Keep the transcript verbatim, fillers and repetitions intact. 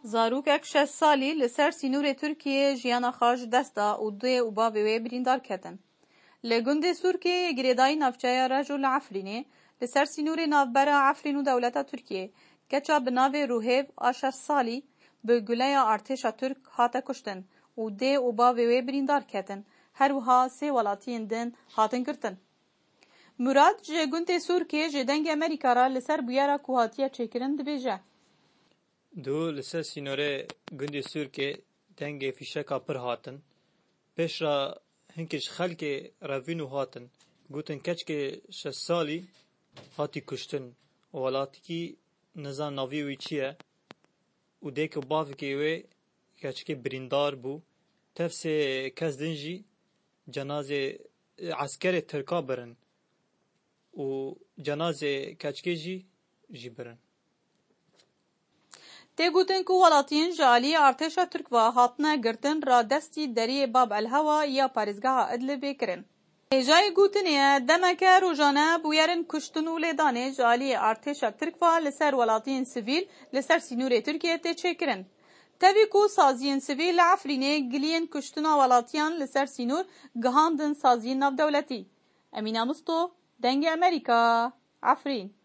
Zarokek şeş salî li ser sînorê Tirkiyê jiyana xwe ji dest da û dê û bavê wê birîndar ketin. Li gundê Sûrkê yê girêdayî navçeya Reco li Efrînê, li ser sînorê navbera Efrîn û dewleta Tirkiyê, keça bi navê Ruhêv a şeş salî bi guleya artêşa Tirk hate kuştin û dê û bavê wê birîndar ketin. Her wiha sê welatiyên din hatin girtin. Murad ji gundê Sûrkê ji Dengê Amerîka re li ser bûyera ku hatiye çêkirin dibêje. Dû li ser sînorê gundê Sûrkê dengê fîşeka pir hatin. Pêş re hinkê ji xelkê revîn û hatin. Gotin keçkê şeş salî hatî kuştin û welatikî nizan navî wî çi ye û dêk û bavkê wê keçkê birîndar bû. Tev sê kes din jî cenazê eskerê Tirka birin û cenazê keçkê jî jî birin. Tê gotin ku welatiyên ji aliyê artêşa Tirk ve hatine girtin radestî deriyê Bab El Hewa ya parêzgeha Idlibê kirin. Hêjayê gotinê ye, demeke rojane bûyerên kuştin û lêdanê ji aliyê artêşa Tirk ve li ser welatiyên sivîl li ser sînorê Tirkiyê tê çêkirin. Tevî ku saziyên sivîl li Efrînê giliyên kuştina welatiyan li ser sînor gihandin saziyên navdewletî. Emîne Misto, Dengê Amerîka, Efrîn.